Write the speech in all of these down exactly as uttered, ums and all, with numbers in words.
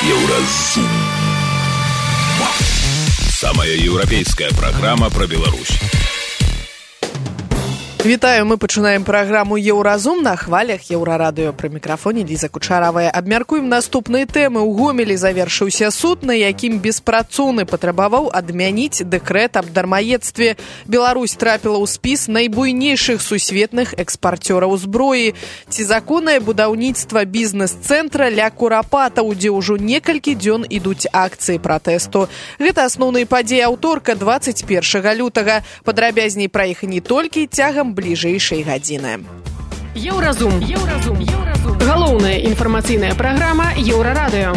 Еўразум. Самая еўрапейская праграма пра Беларусь. Вітаю, мы пачынаем праграму «Еўразум» на хвалях Еўрарадыё. Пры мікрафоне Ліза Кучаравая. Абмяркуем наступныя тэмы. У Гомелі завершыўся суд, на якім беспрацоўны патрабаваў адмяніць дэкрэт аб дармаедстве. Беларусь трапіла ў спіс найбуйнейшых сусветных экспарцёраў зброі. Ці законнае будаўніцтва бізнес-цэнтра ля курапатаў, дзе ўжо некалькі дзён ідуць акцыі пратэсту. Гэта асноўныя падзеі аўторка дваццаць першага лютага. Падрабязней пра іх не толькі цягам бліжэйшай гадзіны. Еўразум. Еўразум. Еўразум. Галоўная інфармацыйная праграма Еўрарадыё.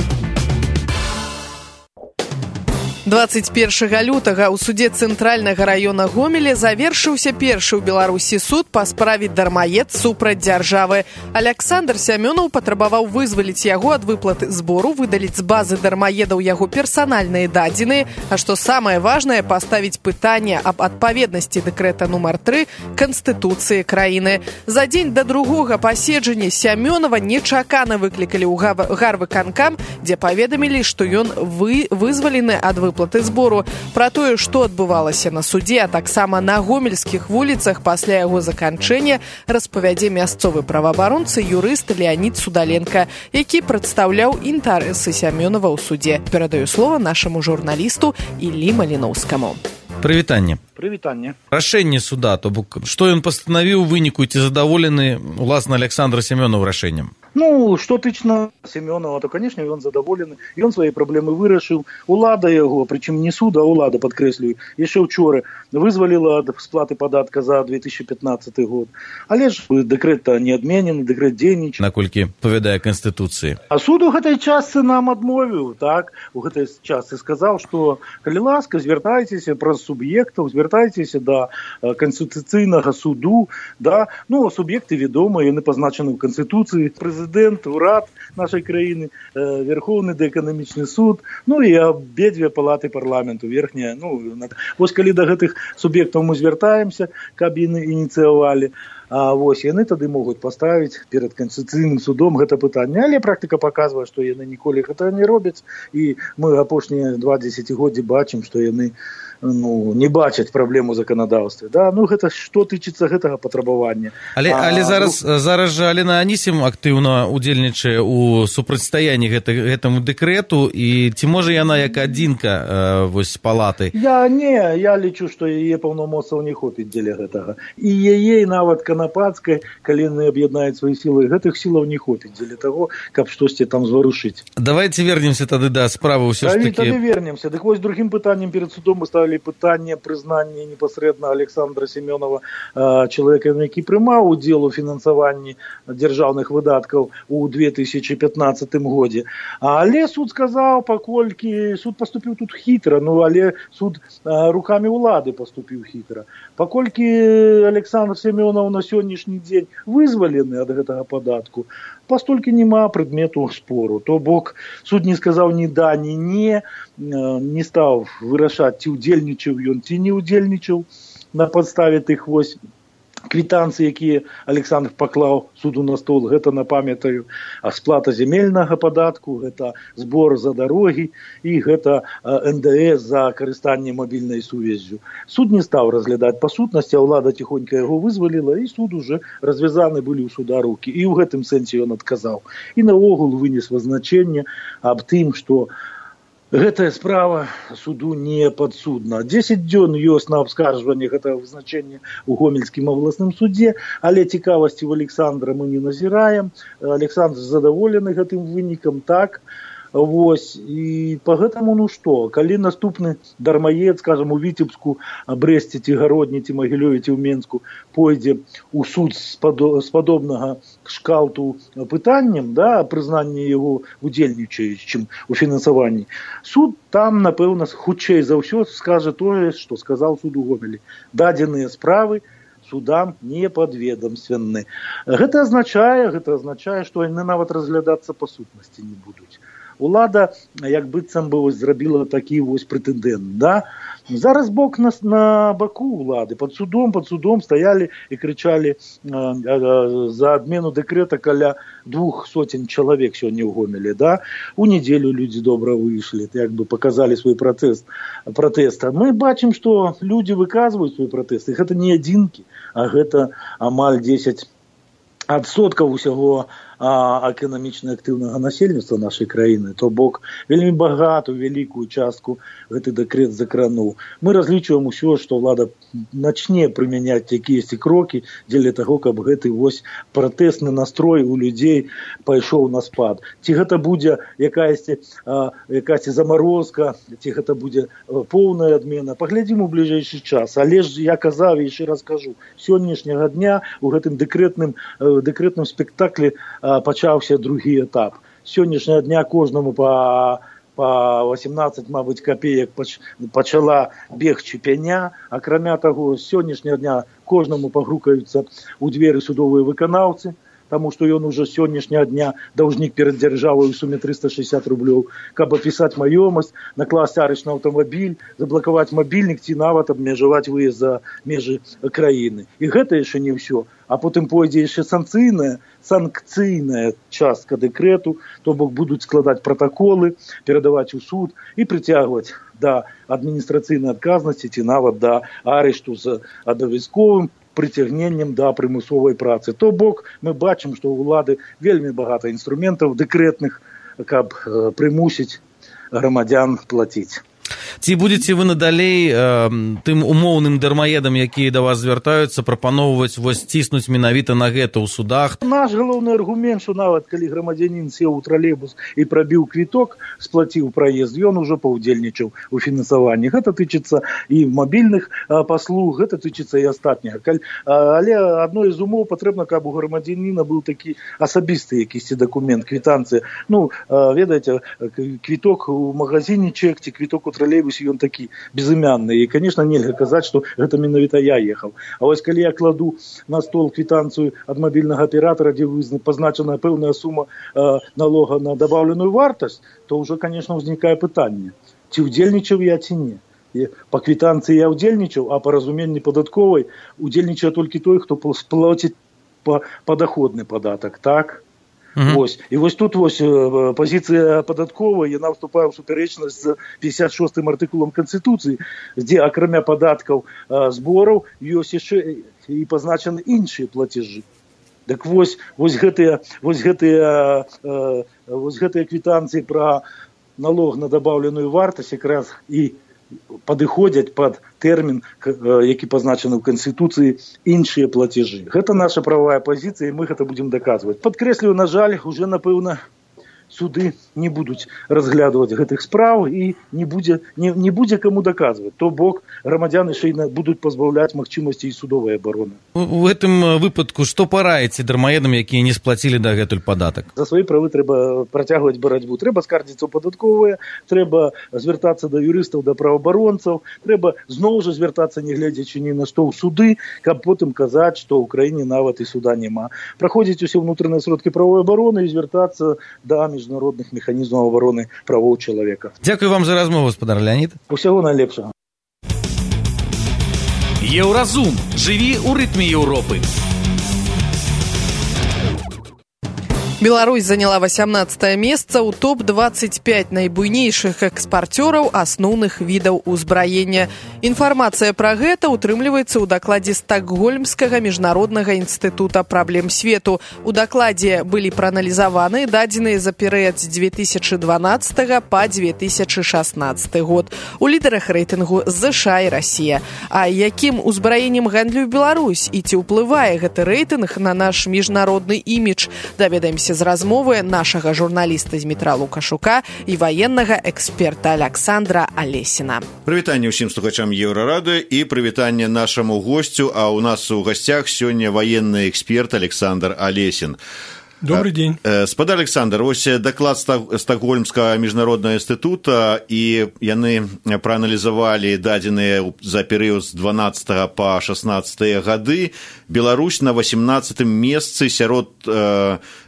дваццаць першага лютага ў судзе цэнтральнага раёна Гомеля завершыўся першы ў Беларусі суд па справе дармаед супраць дзяржавы. Аляксандр Сямёнаў патрабаваў вызваліць яго ад выплаты збору, выдаліць з базы дармаедаў яго персанальныя дадзеныя, а што самае важнае, паставіць пытанне аб адпаведнасці дэкрэта нумар тры Канстытуцыі краіны. За дзень да другога паседжання Сямёнава нечакана выклікалі ў гарвыканкам, дзе паведамілі, што ён вы, вызвалены ад выплаты платы збору. Пра тое, што адбывалася на судзе, а таксама на гомельскіх вуліцах пасля яго заканчэння, распавядзе мясцовы праваабаронца юрыст Леанід Судаленко, які прадстаўляў інтарэсы Сямёнава ў суде. Перадаю слова нашаму журналісту Іллі Маліноўскаму. Прывітанне. Прывітанне. Рашэнне суда, то бок, што ён пастанавіў у выніку, ці задаволены уласна Аляксандр Сямёнаў рашэннем? Ну, што тычна Сямёнава, то, канешне, ён задаволены. Ён свае праблемы вырашыў. Улада яго, прычым не суд, а улада, падкрэслюю, яшчэ ўчора вызваліла ад сплаты падатка за две тысячи пятнадцаты год. Але ж дэкрэт не адменены, дэкрэт дзейнічае. Наколькі павядае Канстытуцыі. А суд у гэтай частцы нам адмовіў, так? У гэтай частцы сказаў, што, калі ласка, звяртайцеся праз суб'ектаў, звяртайцеся да Канстытуцыйнага суду, да? Ну, суб'екты вядомыя, яны пазначаны ў Канстытуцыі. Прэзідэнт, урад нашай краіны, э, Верховны эканамічны суд, ну і абедзве палаты парламенту, верхняя. Ну, вось калі да гэтых суб'ектаў мы звяртаемся, каб яны ініцыявалі, а вось яны тады могуць паставіць перад Канстытуцыйным судом гэта пытанне. Але практыка паказвае, што яны ніколі гэта не робяць, і мы апошнія два дзесяцігоддзі бачым, што яны ну, не бачаць праблему заканадаўства. Да? Ну, гэта што тычыцца гэтага патрабавання. Але, а, але зараз, ну... зараз жа Алена Анісім актыўна удзельнічае ў супрацьстаянні гэта, гэтаму дэкрэту, і ці можа яна як адзінка э, вось палаты? Я не, я лічу, што яе паўнамоцтваў не хопіць дзеля гэтага. І яе нават канапацкай, калі яны аб'яднаюць свае сілы, гэтых сілаў не хопіць дзеля таго, каб штосьці там зварушыць. Давайте вернемся тады да справы ўсё ж такі. Тады вернемся. Дык вось другім пытаннем перед судом мы ставілі пытанне прызнання непасрэдна Аляксандра Сямёнава чалавекам, які прымаў удзел у фінансаванні дзяржаўных выдаткаў у две тысячи пятнадцатым годзе. Але суд сказаў, паколькі суд паступіў тут хітра, ну але суд рукамі ўлады паступіў хітра. Паколькі Аляксандр Сямёнаў на сённяшні дзень вызвалены ад гэтага падатку, пастолькі няма прадмету спору. То бок суд не сказаў ні да, ні не, не стаў вырашаць, ці удзельнічаў ён, ці не удзельнічаў на падставе тых вось квітанцый, якія Аляксандр паклаў суду на стол. Гэта, напамятаю, сплата зямельнага падатку, гэта збор за дарогі і гэта эн дэ эс за карыстанне мабільнай сувяззю. Суд не стаў разглядаць па сутнасці, а ўлада ціхонька яго вызваліла, і суд уже развязаны былі ў суда рукі. І ў гэтым сэнсе ён адказаў. І наогул вынес вызначэнне аб тым, што гэтая справа суду не падсудна. дзесяць дзён ёсць на абскарджванне гэтага вызначэння ў Гомельскім абласным судзе, але цікавасці ў Аляксандра мы не назіраем. Аляксандр задаволены гэтым вынікам, так. Вось, і па гэтаму, ну што, калі наступны дармаед, скажам, у Віцебску, Брэсце, ці Гародні, ці Магілёве, ці ў Менску пойдзе ў суд з падобнага шкалту пытаннем, да, прызнання яго удзельнічаючым у фінансаванні, суд там, напэўна, хутчэй за ўсё скажа тое, што сказаў суд у Гомелі. Дадзеныя справы судам не падведамственны. Гэта азначае, гэта азначае, што яны нават разглядацца па сутнасці не будуць. улада як быццам бы вось зрабіла такі вось прэтэндэнт, да? Зараз бок на, на баку улады, под судом, под судом стаялі і крычалі э, э, за адмену дэкрэта каля двух сотен чалавек сёння ў Гомелі, да? У нядзелю людзі добра выйшлі, як бы паказалі свой пратэст, пратэст. Мы бачым, што людзі выказваюць свой пратэст, і гэта не адзінкі, а гэта амаль дзесяць адсоткаў усяго а, эканамічна актыўнага насельніцтва нашай краіны, то бок вельмі багатую, вялікую частку гэты дэкрэт закрануў. Мы разлічваем усё, што ўлада начне прымяняць якіясьці крокі дзеля таго, каб гэты вось пратэсны настрой у людзей пайшоў на спад. Ці гэта будзе якаясьці, а, якаясьці замарозка, ці гэта будзе поўная адмена, паглядзім у бліжэйшы час. Але ж я казаў і яшчэ раз кажу, сённяшняга дня у гэтым дэкрэтным дэкрэтным спектаклі а, пачаўся другі этап. Сённяшняга дня кожнаму па, па восемнадцаць, мабыць, капеек пач, пачала бегчы пяня. Акрамя таго, сённяшняга дня кожнаму пагрукаюцца ў дзверы судовыя выканаўцы, таму што ён ужо сённяшняга дня даўжнік перад дзяржавай у суме трыста шэсцьдзесят рублёў, каб апісаць маёмасць, накласць арыш на аўтамабіль, заблакаваць мабільнік ці нават абмежаваць выезд за межы краіны. І гэта яшчэ не ўсё. А потым пойдзе яшчэ санкцыйная, санкцыйная частка дэкрэту, то бок будуць складаць пратаколы, перадаваць у суд і прыцягваць да адміністрацыйнай адказнасці ці нават да арышту з абавязковым прыцягненнем да прымусовай працы. То бок мы бачым, што ў улады вельмі багата інструментаў дэкрэтных, каб э, прымусіць грамадзян плаціць. Ці будзеце вы надалей э, тым умоўным дармаедам, якія да вас звяртаюцца, прапаноўваць вось ціснуць менавіта на гэта ў судах? Наш галоўны аргумент, што нават калі грамадзянін сеў у тралейбус і прабіў квіток, сплаціў праезд, ён ужо паўдзельнічаў у фінансаванні. Гэта тычыцца і мабільных э, паслуг, гэта тычыцца і астатняга. Каль, э, але адной з умоў патрэбна, каб у грамадзяніна быў такі асабісты якісьці дакумент, квітанцыя. Ну, э, ведаеце, квіток у магазине чек ці квіток у тралейбусе, ён такі безымянны. І, конечно, нельга казаць, што гэта менавіта я ехаў. А вось калі я кладу на стол квітанцыю ад мабільнага аператора, дзе пазначана пэўная сума э, налога на дабаўленую вартасць, то ўжо, конечно, ўзнікае пытанне, ці ўдзельнічаў я, ці не. І па квітанцыі я ўдзельнічаў, а па разуменні падатковай удзельнічае толькі той, хто сплаціць падаходны падатак, так? Uh-huh. Вось. І вось тут вось пазіцыя падатковая, яна ўступае ў супярэчнасць з пятьдесят шостым артыкулам Канстытуцыі, дзе акрамя падаткаў збораў ёсць яшчэ і пазначаны іншыя плацежы. Так вось, вось гэтыя, вось гэтыя, вось гэтыя квітанцыі пра налог на дабаўленую вартасць якраз і падыходзяць пад тэрмін, які пазначаны ў Канстытуцыі, іншыя плацежы. Гэта наша правая пазіцыя, і мы гэта будзем даказваць. Падкрэслюю, на жаль, уже, напэўна, суды не будуць разглядваць гэтых спраў і не будзе, не, не будзе каму даказваць. То бок грамадзяны яшчэ будуць пазбаўляць магчымасці і судовай абароны. У гэтым выпадку што параіце дармаедам, якія не сплацілі дагэтуль падатак? За свае правы трэба працягваць барацьбу. Трэба скардзіцца ў падатковыя, трэба звяртацца да юрыстаў, да праваабаронцаў, трэба зноў жа звяртацца, не глядзячы ні на што, ў суды, каб потым казаць, што ў краіне нават і суда няма. Праходзіць усе ўнутраныя сродкі правовой абароны і звяртацца да міжнародных механізмаў абароны правоў чалавека. Дзякую вам за размову, гаспадар Леонид. Усяго найлепшага. Еўразум. Жыві ў рытме Еўропы. Беларусь заняла восемнадцатое месца ў топ двадцать пять найбуйнейшых экспарцёраў асноўных відаў узбраення. Інфармацыя пра гэта ўтрымліваецца ў дакладзе Стакгольмскага міжнароднага інстытута праблем свету. У дакладзе былі прааналізаваны дадзеныя за перыяд з две тысячи дванаццатага па две тысячи шаснаццаты год. У лідарах рэйтынгу ЗША і Расія. А якім узбраеннем гандлюе Беларусь і ці ўплывае гэты рэйтынг на наш міжнародны імідж? Даведаемся з размовы нашага журналіста Змітра Лукашука і ваеннага эксперта Александра Алесіна. Прывітанне ўсім слухачам Еўрарадыё і прывітанне нашаму госцю, а ў нас у гасцях сёння ваенны эксперт Александр Алесін. Добрый день. Спадар Александр, вось даклад Стокгольмскага міжнароднага інстытута, і яны прааналізавалі дадзеныя за перыяд з дванаццатага па шаснаццатыя гады. Беларусь на васемнаццатым месцы сярод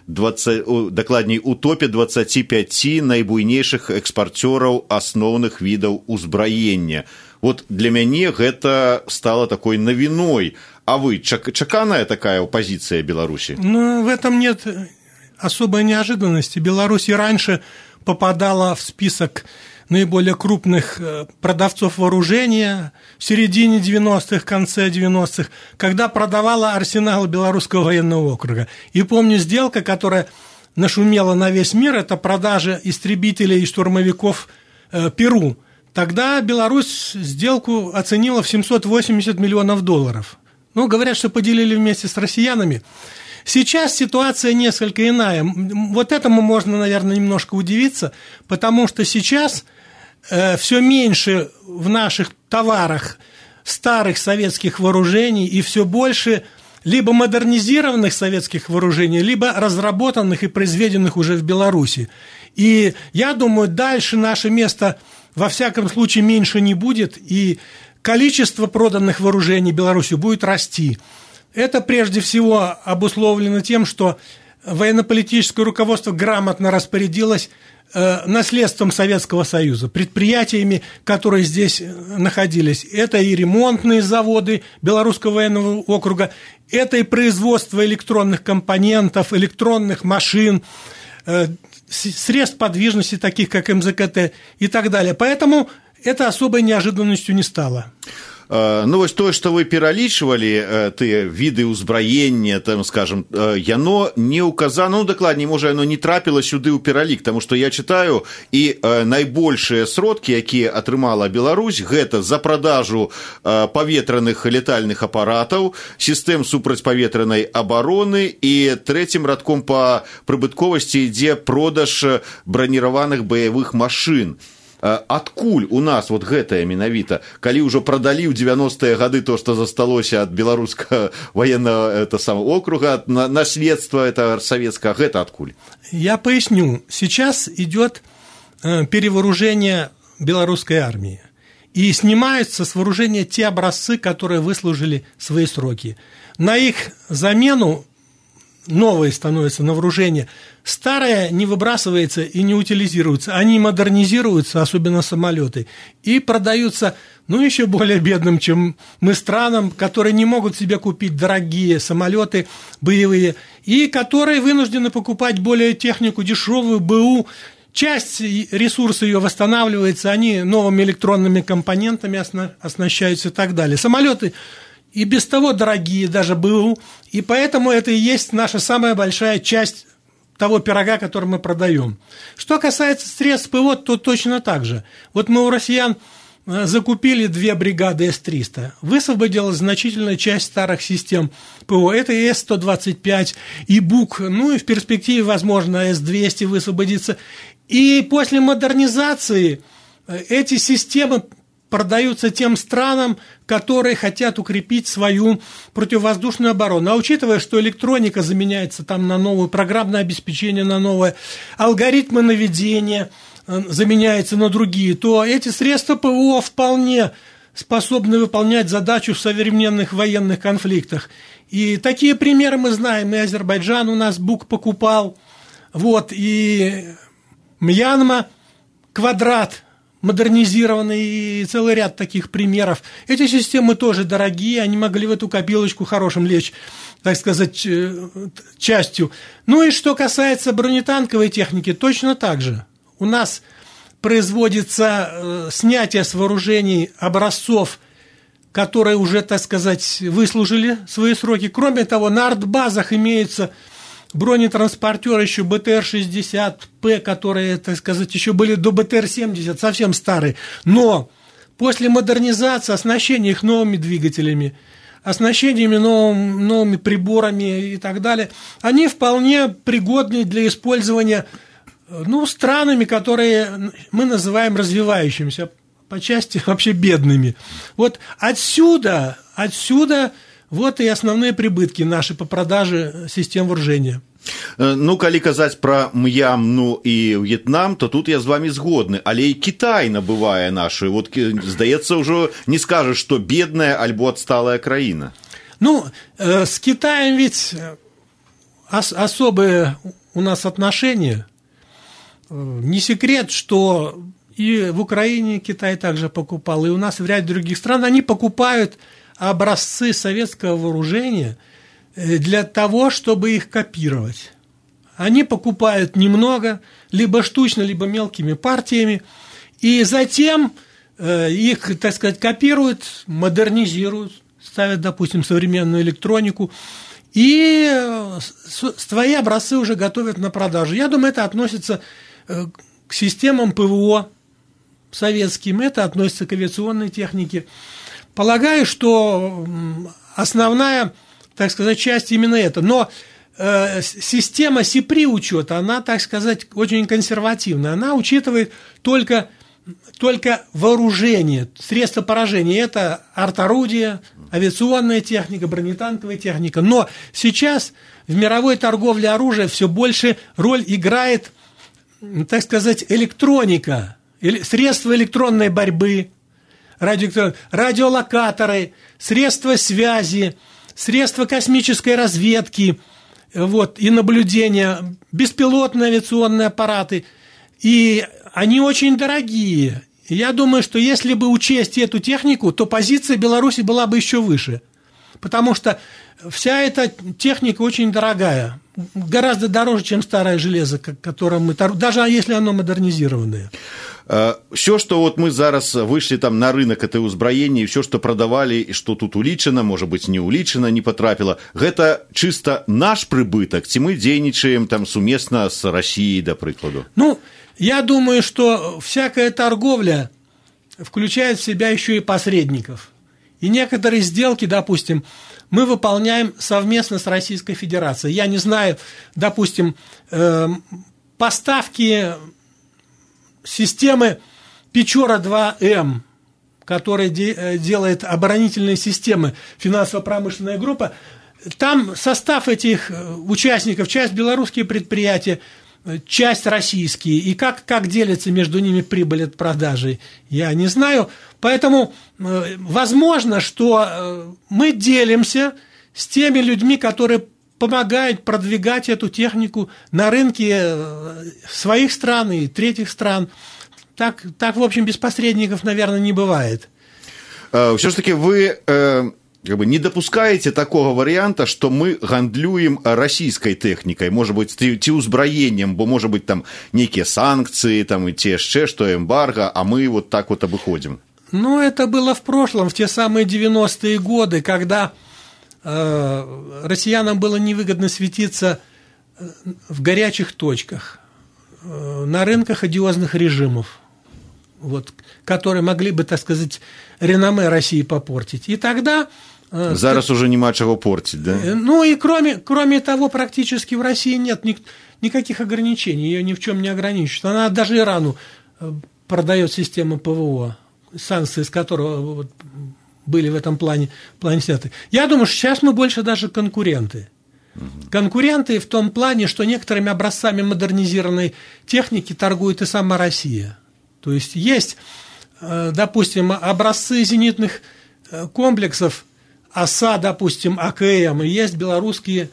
двадцать, дакладней у топе дваццаці пяці найбуйнейшых экспарцёраў асноўных відаў узбраення. Вот для мяне гэта стало такой навіной. А вы, чаканая такая позиция Беларуси? Ну, в этом нет особой неожиданности. Беларусь и раньше попадала в список наиболее крупных продавцов вооружения в середине девяностых, конце девяностых, когда продавала арсенал Белорусского военного округа. И помню, сделка, которая нашумела на весь мир, это продажа истребителей и штурмовиков э, Перу. Тогда Беларусь сделку оценила в семьсот восемьдесят миллионов долларов. Ну, говорят, что поделили вместе с россиянами. Сейчас ситуация несколько иная. Вот этому можно, наверное, немножко удивиться, потому что сейчас э, все меньше в наших товарах старых советских вооружений и все больше либо модернизированных советских вооружений, либо разработанных и произведенных уже в Беларуси. И я думаю, дальше наше место во всяком случае меньше не будет, и количество проданных вооружений Беларусью будет расти. Это прежде всего обусловлено тем, что военно-политическое руководство грамотно распорядилось э, наследством Советского Союза, предприятиями, которые здесь находились. Это и ремонтные заводы Белорусского военного округа, это и производство электронных компонентов, электронных машин, э, средств подвижности, таких как эм зэ ка тэ и так далее. Поэтому это особой неожиданностью не стало. Ну, вось тое, што вы пералічвалі, тыя віды ўзбраення, там, скажем, яно не указано, ну, дакладней, можа, яно не трапіла сюды ў пералік, таму што я чытаю, і найбольшыя сродкі, якія атрымала Беларусь, гэта за продажу паветраных летальных апаратаў, сістэм супрацьпаветранай абароны, і трэцім радком па прыбытковасці ідзе продаж браніраваных баявых машын. Адкуль у нас вот гэтае менавіта, калі ўжо прадалі ў девяностыя гады то, што засталося ад беларускага военного это самого округа, на, наследство это советское, гэта адкуль? Я поясню. Сейчас идет э, перевооружение белорусской армии. И снимаются с вооружения те образцы, которые выслужили свои сроки. На их замену новые становятся на вооружение. Старое не выбрасывается и не утилизируется. Они модернизируются, особенно самолеты, и продаются, ну, еще более бедным, чем мы, странам, которые не могут себе купить дорогие самолеты боевые, и которые вынуждены покупать более технику дешевую, БУ. Часть ресурса ее восстанавливается, они новыми электронными компонентами оснащаются и так далее. Самолеты и без того дорогие, даже БУ, и поэтому это и есть наша самая большая часть того пирога, который мы продаем. Что касается средств ПВО, то точно так же. Вот мы у россиян закупили две бригады эс триста, высвободилась значительная часть старых систем ПВО. Это и эс сто двадцать пять, и БУК, ну и в перспективе, возможно, эс двести высвободится. И после модернизации эти системы продаются тем странам, которые хотят укрепить свою противовоздушную оборону. А учитывая, что электроника заменяется там на новую, программное обеспечение на новое, алгоритмы наведения заменяются на другие, то эти средства ПВО вполне способны выполнять задачу в современных военных конфликтах. И такие примеры мы знаем. И Азербайджан у нас БУК покупал, вот, и Мьянма, Квадрат модернизированный, и целый ряд таких примеров. Эти системы тоже дорогие, они могли в эту копилочку хорошим лечь, так сказать, частью. Ну и что касается бронетанковой техники, точно так же. У нас производится э, снятие с вооружений образцов, которые уже, так сказать, выслужили свои сроки. Кроме того, на артбазах имеются бронетранспортеры еще бэ тэ эр шестьдесят пэ, которые, так сказать, еще были до бэ тэ эр семьдесят, совсем старые. Но после модернизации, оснащения их новыми двигателями, оснащениями новыми, новыми приборами и так далее, они вполне пригодны для использования, ну, странами, которые мы называем развивающимися, по части вообще бедными. Вот отсюда, отсюда вот и основные прибытки наши по продаже систем вооружения. Ну, калі казаць пра М'янму і В'етнам, то тут я з вами згодны, але і Кітай набывае нашу. Вот, здаецца, ўжо не скажаш, што бедная альбо адсталая краіна. Ну, э, с Китаем ведь ос- особые у нас отношения. Не секрет, что и в Украине Китай также покупал, и у нас в ряде других стран они покупают образцы советского вооружения для того, чтобы их копировать. Они покупают немного, либо штучно, либо мелкими партиями, и затем э, их, так сказать, копируют, модернизируют, ставят, допустим, современную электронику, и э, свои образцы уже готовят на продажу. Я думаю, это относится э, к системам ПВО советским, это относится к авиационной технике. Полагаю, что основная, так сказать, часть именно это. Но э, система СИПРИ учета, она, так сказать, очень консервативная. Она учитывает только, только вооружение, средства поражения. Это арт-орудия, авиационная техника, бронетанковая техника. Но сейчас в мировой торговле оружия все больше роль играет, так сказать, электроника, средства электронной борьбы, радио, радиолокаторы, средства связи, средства космической разведки, вот, и наблюдения, беспилотные авиационные аппараты. И они очень дорогие. И я думаю, что если бы учесть эту технику, то позиция Беларуси была бы еще выше. Потому что вся эта техника очень дорогая. Гораздо дороже, чем старое железо, которым мы, даже если оно модернизированное. Все, что вот мы зараз вышли там на рынок этой узброения, все, что продавали, и что тут улічено, может быть, не улічено, не потрапило, это чисто наш прибыток, ці мы дзейнічаем там суместно с Россией, до прикладу? Ну, я думаю, что всякая торговля включает в себя еще и посредников. И некоторые сделки, допустим, мы выполняем совместно с Российской Федерацией. Я не знаю, допустим, э, поставки системы Печора два эм, которая де- делает оборонительные системы, финансово-промышленная группа, там состав этих участников, часть белорусские предприятия, часть российские, и как, как делится между ними прибыль от продажи, я не знаю. Поэтому э, возможно, что э, мы делимся с теми людьми, которые помогают продвигать эту технику на рынке э, своих стран и третьих стран. Так, так, в общем, без посредников, наверное, не бывает. Все-таки вы... Э... Как бы не допускаете такого варианта, что мы гандлюем российской техникой, может быть, ці узброением, бо, может быть, там некие санкции, там и те еще, что эмбарго, а мы вот так вот обыходим? Ну, это было в прошлом, в те самые девяностые годы, когда э, россиянам было невыгодно светиться в горячих точках, э, на рынках одиозных режимов, вот, которые могли бы, так сказать, реноме России попортить. И тогда... Зараз уже нема чего портить, да? Ну и кроме, кроме того, практически в России нет ни, никаких ограничений, ее ни в чем не ограничивают. Она даже Ирану продает систему ПВО, санкции с которого вот, были в этом плане, плане сняты. Я думаю, что сейчас мы больше даже конкуренты. Угу. Конкуренты в том плане, что некоторыми образцами модернизированной техники торгует и сама Россия. То есть есть, допустим, образцы зенитных комплексов ОСА, допустим, АКМ, и есть белорусские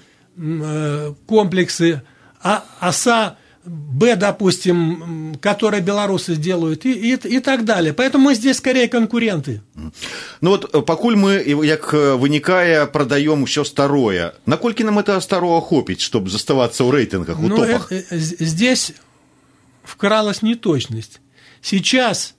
комплексы ОСА Б, допустим, которые белорусы делают, и, и, и так далее. Поэтому мы здесь скорее конкуренты. Ну вот, пакуль мы, як вынікае, продаем все старое, наколькі нам это старого хопить, чтобы заставаться в рейтингах, в ну, топах? Это, здесь вкралась неточность. Сейчас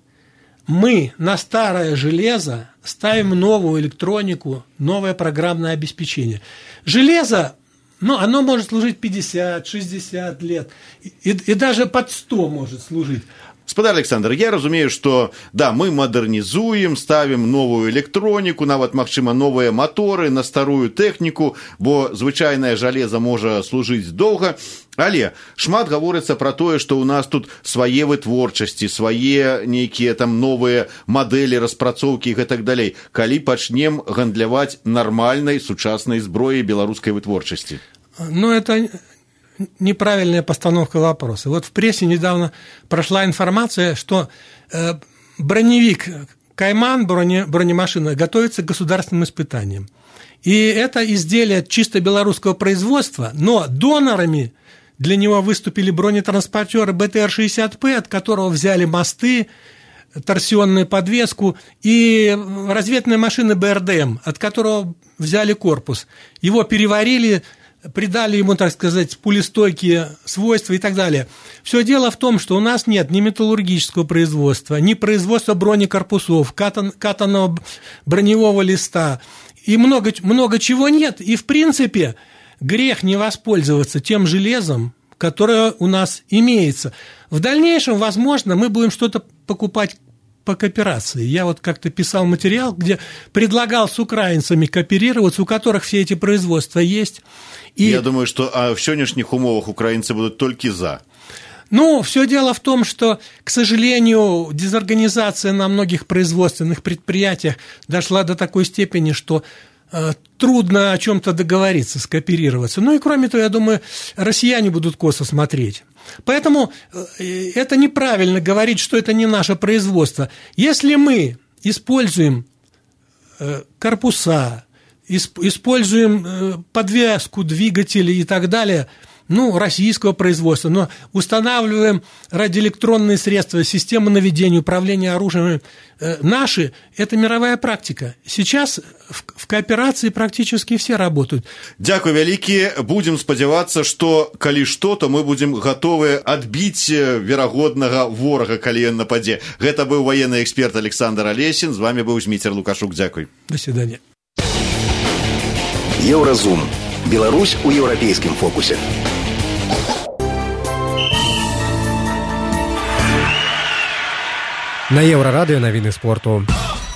мы на старое железо ставим новую электронику, новое программное обеспечение. Железо, ну, оно может служить пятьдесят-шестьдесят лет, и, и даже под сто может служить. Господар Александр, я разумею, что, да, мы модернизуем, ставим новую электронику, нават, магчыма, новые моторы на старую технику, бо звычайнае жалеза можа служыць доўга, але шмат гаворыцца пра тое, што ў нас тут свае вытворчасці, свае нейкія там новыя мадэлі, распрацоўкі і гэтак далей. Калі пачнем гандляваць нармальнай сучаснай зброяй беларускай вытворчасці? Ну, это неправильная постановка вопроса. Вот в прессе недавно прошла информация, что э, броневик «Кайман», броне, бронемашина, готовится к государственным испытаниям. И это изделие чисто белорусского производства, но донорами для него выступили бронетранспортеры бэ тэ эр шестьдесят пэ, от которого взяли мосты, торсионную подвеску, и разведные машины бэ эр дэ эм, от которого взяли корпус. Его переварили, придали ему, так сказать, пулестойкие свойства и так далее. Все дело в том, что у нас нет ни металлургического производства, ни производства бронекорпусов, катан, катанного броневого листа, и много, много чего нет. И, в принципе, грех не воспользоваться тем железом, которое у нас имеется. В дальнейшем, возможно, мы будем что-то покупать по кооперации. Я вот как-то писал материал, где предлагал с украинцами кооперироваться, у которых все эти производства есть. И... Я думаю, что а в сегодняшних умовах украинцы будут только за. Ну, все дело в том, что, к сожалению, дезорганизация на многих производственных предприятиях дошла до такой степени, что э, трудно о чем-то договориться, скооперироваться. Ну и кроме того, я думаю, россияне будут косо смотреть. Поэтому э, это неправильно говорить, что это не наше производство. Если мы используем э, корпуса, исп, используем э, подвеску, двигатели и так далее, ну, российского производства, но устанавливаем радиоэлектронные средства, системы наведения, управления оружием э, наши, это мировая практика. Сейчас в, в кооперации практически все работают. Дякую вялікі. Будем спадзявацца, што калі што, то мы будем готовы адбіць верагоднага ворага, калі ён нападзе. Гэта быў военный эксперт Александр Алесін. З вами быў Зміцер Лукашук. Дзякуй. До свидания. Еўразум. Беларусь у еўрапейскім фокусе. На Еўрарадыё навіны спорту.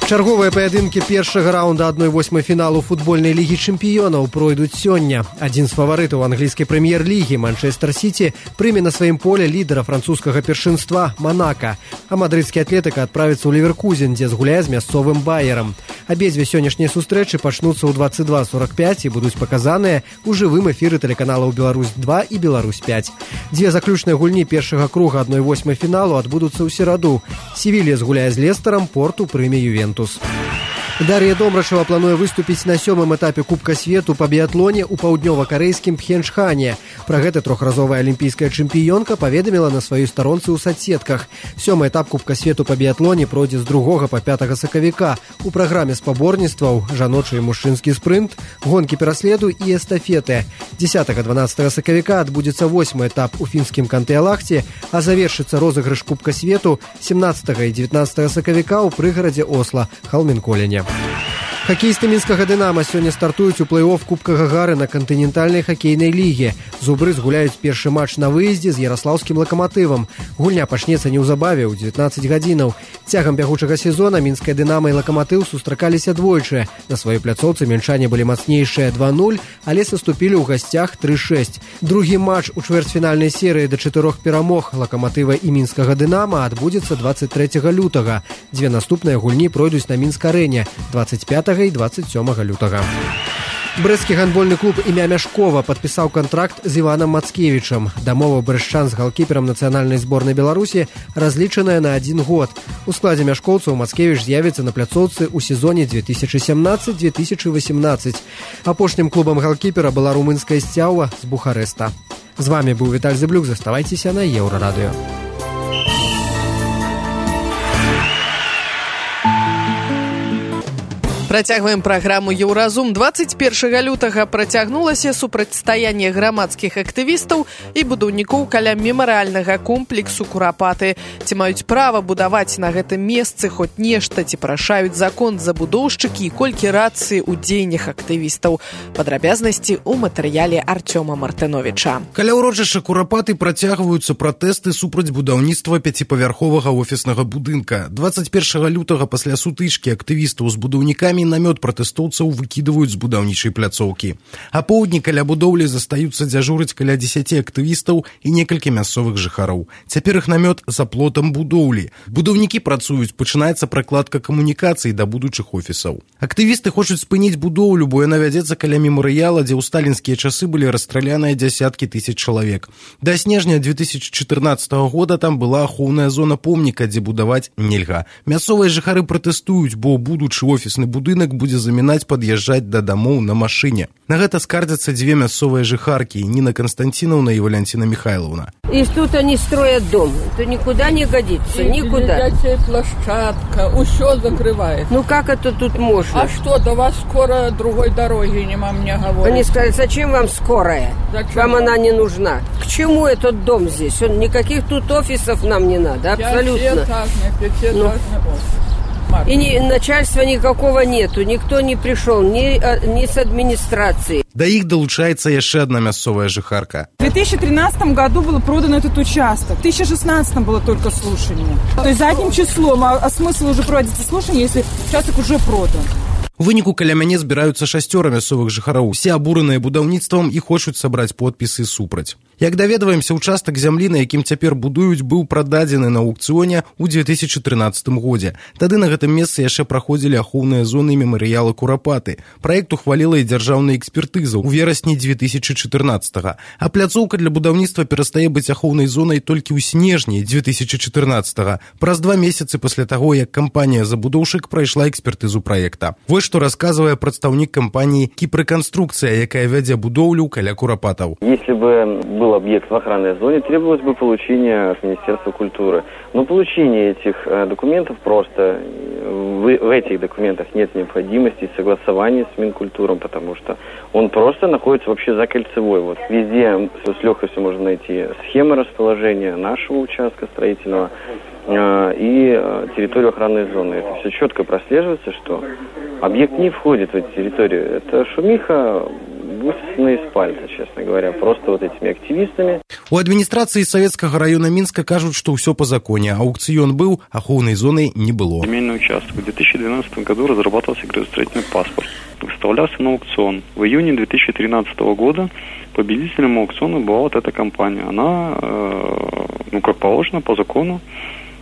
Чарговыя паядынкі першага раунда адной восьмай фіналу футбольнай лігі чэмпіёнаў пройдуць сёння. Адзін з фаварытаў англійскай прэм'ер-лігі Манчестер Сіці прыме на сваім поле лідара французскага першынства Манака, а мадрыдскі атлетыка адправіцца ў Леверкузен, дзе згуляе з мясцовым Баярам. Абедзве сённяшнія сустрэчы пачнуцца ў дваццаць два сорак пяць і будуць паказаныя ў жывым эфіры тэлеканалаў Беларусь два і Беларусь пяць. Дзве заключныя гульні першага круга адной восьмай фіналу адбудуцца ў сераду. Севілья згуляе з Лестарам, Порту прыме Ювентус. Дар'я Домрачева плануе выступіць на сёмым этапе Кубка свету па біятлоне ў паўднёва-карэйскім Пхенчхане. Пра гэта трохразовая алімпійская чэмпіёнка паведаміла на сваёй старонцы ў садсетках. Сёмы этап Кубка свету па біятлоне пройдзе з другога па пятага сакавіка. У праграме спаборніцтваў жаночы і мужчынскі спрынт, гонкі пераследу і эстафеты. дзесятага-дванаццатага сакавіка адбудзецца восьмы этап у фінскім Кантэ-Алахце, а завершыцца розыгрыш Кубка свету семнаццатага і дзевятнаццатага сакавіка ў прыгарадзе Осла, Халменколене. Хакеісты мінскага «Дынама» сёння стартуюць у плэй-офф Кубка Гагарына кантынентальнай хакейнай лігі. Зубры згуляюць першы матч на выездзе з яраслаўскім «Лакаматывам». Гульня пачнецца неўзабаве ў дзевятнаццаць гадзінаў. Цягам бягучага сезона мінская «Дынама» і «Лакаматыў» сустракаліся двойчы. На сваёй пляцоўцы мінчане былі мацнейшыя два нуль, але саступілі ў гасцях тры шэсць. Другі матч у чвэрцьфінальнай серыі да чатырох перамог «Лакаматыва» і мінскага «Дынама» адбудзецца дваццаць трэцяга лютага. Дзве наступныя гульні пройдуць на Мінск-арэне дваццаць пятага і дваццаць сёмага лютага. Брэсцкі гандбольны клуб імя Мяшкова падпісаў кантракт з Іванам Мацкевічам. Дамова брэсчан з галкіперам нацыянальнай зборнай Беларусі разлічаная на адзін год. У складзе мяшкоўцаў Мацкевіч з'явіцца на пляцоўцы ў сезоне две тысячи семнадцать - две тысячи восемнадцать. Апошнім клубам галкіпера была румынская Сцяўа з Бухарэста. З вами быў Віталь Зыблюк. Заставайцеся на Еўрарадыё. Працягваем праграму «Еўразум». дваццаць першага лютага працягнулася супрацьстаянне грамадскіх актывістаў і будаўнікоў каля мемарыяльнага комплексу «Курапаты». Ці маюць права будаваць на гэтым месцы хоць нешта, ці парашаюць закон забудоўшчыкі і колькі рацыі ў дзеяннях актывістаў. Падрабязнасці ў матэрыяле Артёма Мартыновіча. Каля ўрочышча «Курапаты» працягваюцца пратэсты супраць будаўніцтва пяціпавярховага офіснага будынка. дваццаць першага лютага пасля сутычкі актывістаў з будаўнікамі самі намёт пратэстоўцаў выкідваюць з будаўнічай пляцоўкі. А поўдні каля будоўлі застаюцца дзяжурыць каля дзесяці актывістаў і некалькі мясцовых жыхароў. Цяпер іх намёт за плотам будоўлі. Будаўнікі працуюць, пачынаецца пракладка камунікацый да будучых офісаў. Актывісты хочуць спыніць будоўлю, бо яна вядзецца каля мемарыяла, дзе ў сталінскія часы былі расстраляныя дзясяткі тысяч чалавек. Да снежня две тысячи чатырнаццатага года там была ахоўная зона помніка, дзе будаваць нельга. Мясцовыя жыхары пратэстуюць, бо будучы офісны будынак будзе замінаць пад'язджаць да дамоў на машыне. На гэта скардзяцца дзве мясцовыя жыхаркі, Нина Константиновна и Валентина Михайловна. И тут они строят дом. Это никуда не годится, и никуда. И площадка, все закрывает. Ну как это тут можно? А что, до вас скоро другой дороги нема, мне говорят. Они сказали, зачем вам скорая? Зачем? Вам она не нужна. К чему этот дом здесь? Он, никаких тут офисов нам не надо, абсолютно. Пятиэтажный, пятиэтажный ну. офис. И ни, начальства никакого нету, никто не пришел, ни, ни с администрации. Да іх долучается яшчэ одна мясцовая жыхарка. В две тысячи тринадцатом году было продано этот участок, в две тысячи шестнадцатом было только слушание. То есть задним числом, а, а смысл уже проводить слушание, если участок уже продан? У выніку каля мяне збіраюцца шасцёра мясцовых жыхароў. Усе абураныя будаўніцтвам і хочуць сабраць подпісы супраць. Як даведваемся, участак зямлі, на якім цяпер будуюць, быў прададзены на аукцыёне ў две тысячи трынаццатым годзе. Тады на гэтым месцы яшчэ праходзілі ахоўныя зоны мемарыяла Курапаты. Праект ухваліла і дзяржаўная экспертыза ў верасні две тысячи чатырнаццатага. А пляцоўка для будаўніцтва перастае быць ахоўнай зонай толькі ў снежні две тысячи чатырнаццатага, праз два месяцы пасля таго, як кампанія-забудоўшчык прайшла экспертызу праекта. Вось што расказвае прадстаўнік кампаніі «Кіпрэканструкцыя», якая вядзе будоўлю каля Курапатаў. Если бы был объект в охранной зоне, требовалось бы получение от Министерства культуры. Но получение этих документов просто, в, в этих документах нет необходимости согласования с Минкультуром, потому что он просто находится вообще за кольцевой. Вот везде с легкостью можно найти схемы расположения нашего участка строительного и территорию охранной зоны. Это все четко прослеживается, что объект не входит в эту территорию. Это шумиха, высосанная из пальца, честно говоря, просто вот этими активистами. У администрации Советского района Минска кажут, что все по законе. Аукцион был, ахоўной зоны не было. Земельный участок. В две тысячи двенадцатом году разрабатывался градостроительный паспорт. Выставлялся на аукцион. В июне две тысячи тринадцатого года победителем аукциона была вот эта компания. Она, ну как положено, по закону,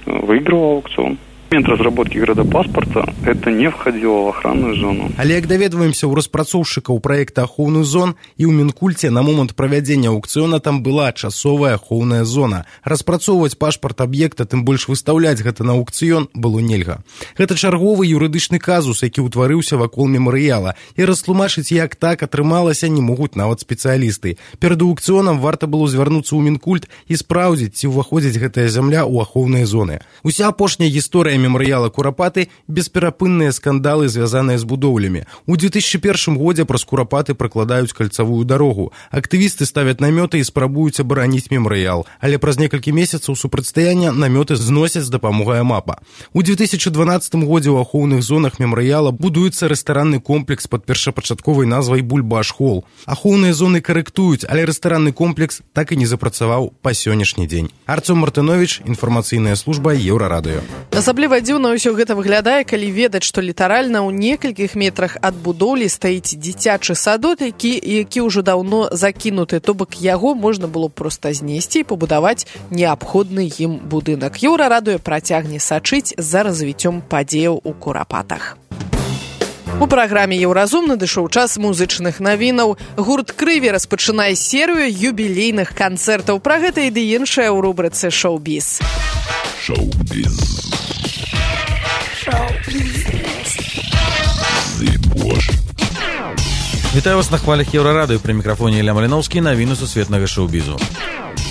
выигрывала аукцион. В момент разработки градапаспорта это не входило в охранную зону. Але як даведваемся ў распрацоўшчыкаў праекта ахоўных зон, і ў Мінкульце на момант правядзення аукцыёна там была часовая ахоўная зона. Распрацоўваць пашпарт аб'екта, тым больш выстаўляць гэта на аукцыён было нельга. Гэта чарговы юрыдычны казус, які ўтварыўся вакол мемарыяла, і растлумачыць, як так атрымалася, не могуць нават спецыялісты. Перад аукцыёнам варта было звярнуцца ў Мінкульт і спраўдзіць, ці ўваходзіць гэтая зямля ў ахоўныя зоны. Уся апошняя гісторыя мемарыяла Курапаты – бесперапынныя скандалы, звязаныя з будоўлямі. У две тысячи первом годзе праз Курапаты пракладаюць кальцавую дарогу. Актывісты ставяць намёты і спрабуюць абараніць мемарыял, але праз некалькі месяцаў супрацьстаяння намёты зносяць з дапамогай МАПа. У две тысячи дванадцатым годзе ў ахоўных зонах мемарыяла будуецца рэстаранны комплекс пад першапачатковай назвай Бульбаш-Холл. Ахоўныя зоны карэктуюць, але рэстаранны комплекс так і не запрацаваў па сённяшні дзень. Арцём Мартынович, інфармацыйная служба Еўрарадыё. Асабліва дзіўна ўсё гэта выглядае, калі ведаць, што літаральна ў некалькіх метрах ад будоўлі стаіць дзіцячы садок, які, які ўжо даўно закінуты, то бок яго можна было проста знесці і пабудаваць неабходны ім будынак. Еўрарадыё працягне сачыць за развіццём падзеяў у Курапатах. У праграме «Еўразум» надышоў час музычных навінаў. Гурт «Крыві» распачынае серыю юбілейных канцэртаў. Пра гэта і ды іншае ў рубрыцы «Шоу-біз». Шоу-біз. Вітаю вас на хвалях Еўрарадыё. Пры мікрафоне Ілля Маліноўскі, навіны сусветнага шоу-бізу.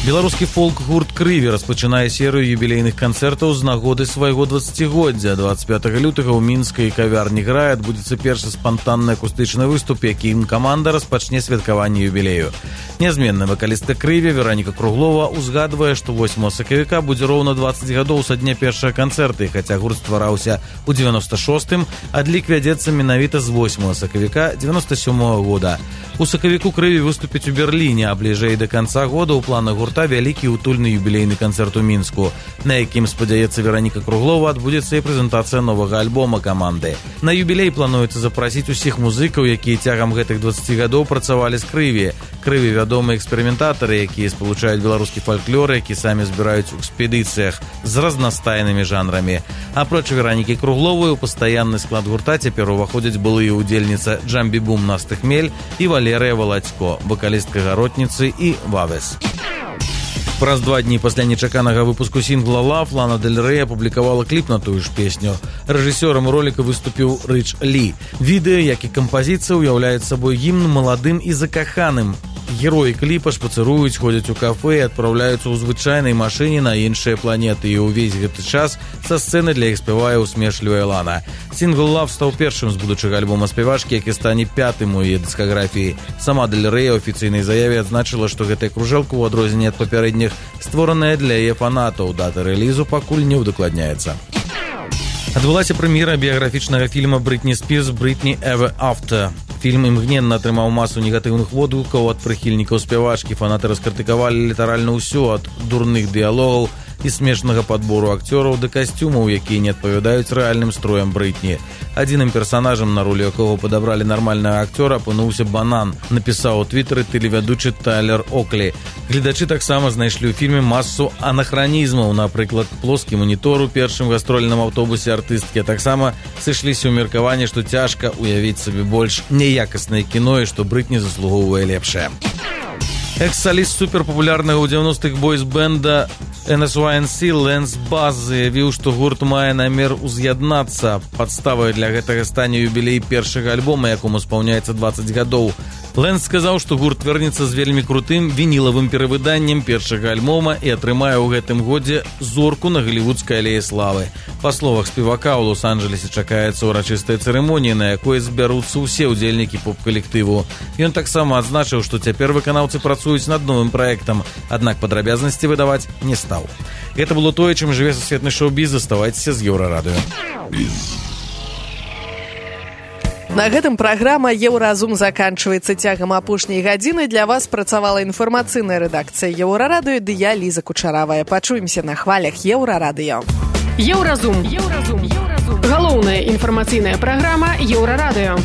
Беларускі фолк-гурт «Крыві» распачынае серыю юбілейных канцэртаў з нагоды свайго дваццацігоддзя. двадцать пятого лютага ў мінскай кавярні «Грай» адбудзецца першы спантанны акустычны выступ, якім каманда распачне святкаванне юбілею. Нязменная вакалістка «Крыві» Вераніка Круглова узгадвае, што восьмага сакавіка будзе роўна двадцать гадоў са дня першага канцэрта, і хаця гурт ствараўся ў девяносто шостым, адлік вядзецца менавіта з восьмага сакавіка девяносто сёмага года. У сакавіку «Крыві» выступіць у Берліне, а бліжэй да канца года ў планах гурта гурта вялікі утульны юбілейны канцэрт у Мінску, на якім, спадзяецца Вераніка Круглова, адбудзецца і прэзентацыя новага альбома каманды. На юбілей плануецца запрасіць усіх музыкаў, якія цягам гэтых дваццаці гадоў працавалі з крыві. Крыві вядомыя эксперыментатары, якія спалучаюць беларускі фальклор, які самі збіраюць у экспедыцыях з разнастайнымі жанрамі. Апроч Веранікі Кругловай у пастаянны склад гурта цяпер уваходзяць былыя удзельніца Джамбі-бум Насты Хмель і Валерыя Валацько, вакалістка Гаротніцы і Вавес. Праз два дні пасля нечаканага выпуску сінгла «Love» Лана Дель Рэй апублікавала кліп на тую ж песню. Рэжысёрам роліка выступіў Рыч Лі. Відэа, як і кампазіцыя, уяўляюць сабой гімн маладым і закаханым. Героі кліпа шпацыруюць, ходзяць у кафэ і адпраўляюцца ў звычайнай машыне на іншыя планеты, і ўвесь гэты час са сцэны для іх спявае усмешлівая Лана. Сінгл «Love» стаў першым з будучага альбома спявачкі, які стане пятым у яе дыскаграфіі. Сама Дель Рэй у афіцыйнай заяве адзначыла, што гэтая кружэлка, у адрозненне ад папярэдніх, створаная для яе фанатаў. Дата рэлізу пакуль не ўдакладняецца. Адбылася прэм'ера біяграфічнага фільма Брытні Спірс «Брытні Ever After». Фільм імгненна атрымаў масу негатыўных водгукаў ад прыхільнікаў спявачкі. Фанаты раскрытыкавалі літаральна ўсё, ад дурных дыялогаў і смешнага падбору акцёраў да касцюмаў, якія не адпавядаюць рэальным строям Брытні. Адзіным персанажам, на ролю якога падабралі нармальнага акцёра, апынуўся банан, напісаў у твітары тэлевядучы Тайлер Оклі. Гледачы таксама знайшлі ў фільме масу анахранізмаў, напрыклад, плоскі манітор у першым гастрольным аўтобусе артысткі, а таксама сышліся ў меркаванні, што цяжка уявіць сабе больш неякаснае кіно і што Брытні заслугоўвае лепшае. Экс-саліст суперпапулярнага ў дзевяностых бойз-бэнда эн эс уай эн си Лэнс Бас заявіў, што гурт мае намер уз'яднацца. Падставай для гэтага стане юбілей першага альбома, якому спаўняецца дваццаць гадоў. Лэнс сказаў, што гурт вернецца з вельмі крутым вінілавым перавыданнем першага альбома і атрымае ў гэтым годзе зорку на галівудскай алеі славы. Па словах спевака, у Лос-Анджелесе чакаецца ўрачыстая цырымонія, на якой збяруцца ўсе ўдзельнікі поп-калектыву. Ён таксама адзначыў, што цяпер выканаўцы працуюць над новым праектам, аднак падрабязнасці выдаваць не стаў. Гэта было тое, чым жыве сусветны шоу-біз. Заставайцеся з Еўрарадыё. На гэтым праграма «Еўразум» заканчваецца. Цягам апошняй гадзіны для вас працавала інфармацыйная рэдакцыя Еўрарадыё ды я, Ліза Кучаравая. Пачуемся на хвалях Еўрарадыё. Еўразум. Еўразум. Галоўная інфармацыйная праграма Еўрарадыё.